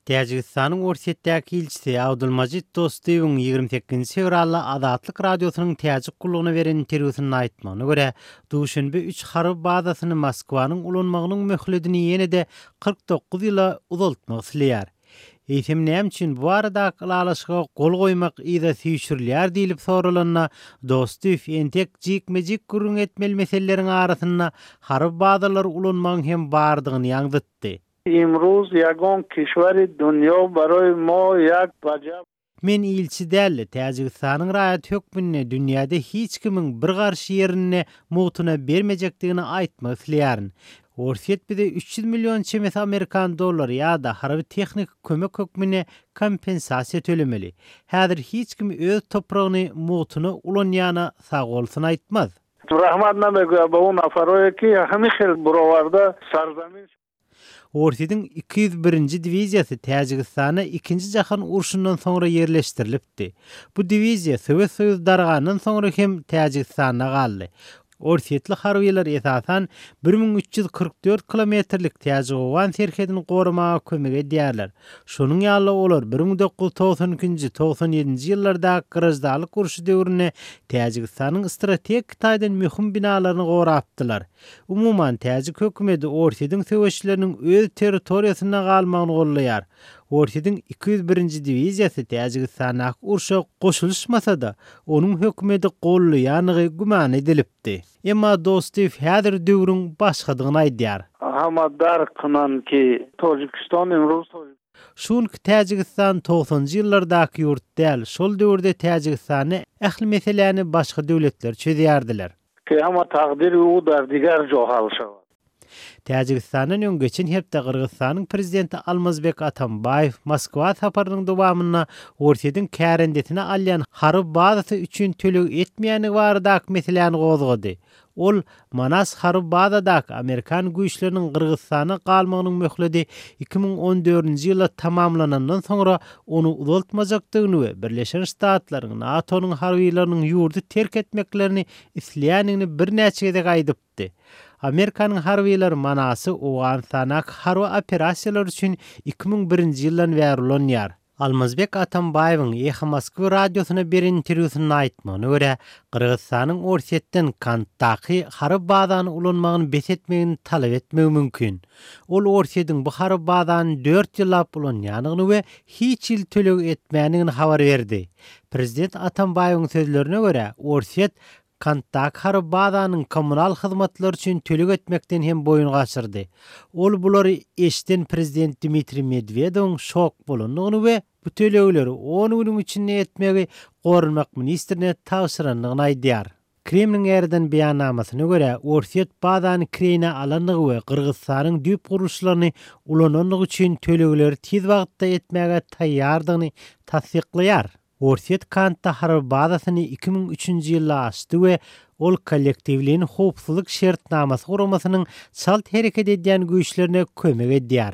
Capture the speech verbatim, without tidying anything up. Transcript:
Täjigistanyň Orsýetdäki ilçisi Abdulmajid Dostyýewiň ýigrimi sekizinji fewralda Azatlyk Radiosynyň täjik gullugyna beren interwýusynda aýtmagyna görä, Duşenbe üç harby bazasyny Moskwanyň ulanmagynyň möhledini ýene-de kyrk dokuz ýyla uzaltmak isleýär. Eýsem näme üçin bu baradaky ylalaşyga gol goýmak yza süýşürilýär diýlip soralanda, Dostyýew entek jikme-jik gürrüň etmeli meseleleriň arasynda harby bazalary ulanmagyň hem bardygyny ýaňzytdy. Imruz ýagon kişweri dunýo baroý mo ýak wajab. Men ilçi däl-de, Täjigistanyň raýaty hökmünde dünýäde hiç kimiň bir garş ýerini mugtuna bermejekdigini aýtmak isleýärin. Orsýet bize üç ýüz million çemesi amerikan dollary ýa-da harby-tehniki kömek hökmünde kompensasiýa tölemeli. Häzir hiç kim öz topragyny mugtuna ulanýana sagbolsun aýtmaz. Rahmat namegüýä ba u nafaroýe ki hemi hil burowarda sarzamin. Orsýetiň iki ýüz birinji diwiziýasy Täjigistana ikinji jahan urşundan soňra ýerleşdirilipdi. Bu diwiziýa Sowet Soýuzy dargandan soňra hem Täjigistanda galdy. Orsýetli harbylar esasan bir müň üç ýüz kyrk dört kilometrlik Täjik-Owgan serhedini goramaga kömek edýärler. Şonuň ýaly olar bir müň dokuz ýüz togsan ikinji, togsan ýedinji ýyllarda graždanlyk urşy döwründe Täjigistanyň strategik taýdan möhüm binalaryny gorapdylar. Umuman, Täjik hökümeti Orsýetiň söweşçileriniň öz territoriýasynda galmagyny gollaýar. Orsýetiň iki ýüz birinji diwiziýasy Täjigistandaky urşa goşulyşmasa-da, onuň hökümeti gollaýanlygy güman edilipdi. Emma Dostyýew häzir döwrüň başgadygyny aýdýar. Hama dark ki Täjigistan imruz Şu günki Täjigistan togsanjy ýyllardaky ýurt däl, şol döwürde Täjigistany ähli meseläni başga döwletler çözýärdiler. Ki hama takdir u dar diger johal şawa. Täjigistandan öň geçen hepde Gyrgyzystanyň prezidenti Almazbek Atambaýew Moskwa saparynyň dowamynda Orsýetiň kärendesine alýan harby bazasy üçin töleg etmeýändigi baradaky meseläni gozgady. Ol Manas harby bazadaky Amerikan güýçleriniň Gyrgyzystana galmagynyň möhleti iki müň on dördünji ýylda tamamlanandan soňra ony uzaltmajakdygyny we Birleşen Ştatlaryň NATO-nyň harbylarynyň ýurdy terk etmeklerini isleýändigini birnäçe gezek aýdypdy. Amerikanyň harbylary Manasy Owganystandaky harby operasiýalar üçin iki müň birinji ýyldan bäri ulanýar. Almazbek Atambaýewiň Eho Moskwy radiosyna beren interwýusynda aýtmagyna görä, Gyrgyzystanyň Orsýetden Kantdaky harby bazany ulanmagyny bes etmegini talap etmegi mümkin. Ol Orsýetiň bu harby bazany dört ýyllap ulanýandygyny we hiç ýyl töleg etmändigini habar berdi. Prezident Atambaýewiň sözlerine görä, Orsýet Kantdaky harby bazanyň kommunal hyzmatlary üçin töleg etmekden hem boýun gaçyrdy. Ol bulary eşden prezident Dmitriý Medwedewiň şok bolandygyny we bu tölegleri on günüň içinde etmegi goranmak ministrine tabşyrandygyny aýdýar. Kremliň ýerden beýannamasyna görä, Orsýet bazany kireýine alandygy we Gyrgyzystanyň düýp gurluşlaryny ulanandygy üçin tölegleri tiz wagtda etmäge taýýardygyny tassyklaýar. Orsýet Kantda harby bazasyny iki müň üçünji ýylda açdy we ol kollektiwleýin howpsuzlyk şertnamasy guramasynyň çalt hereket edýän güýçlerine kömek edýär.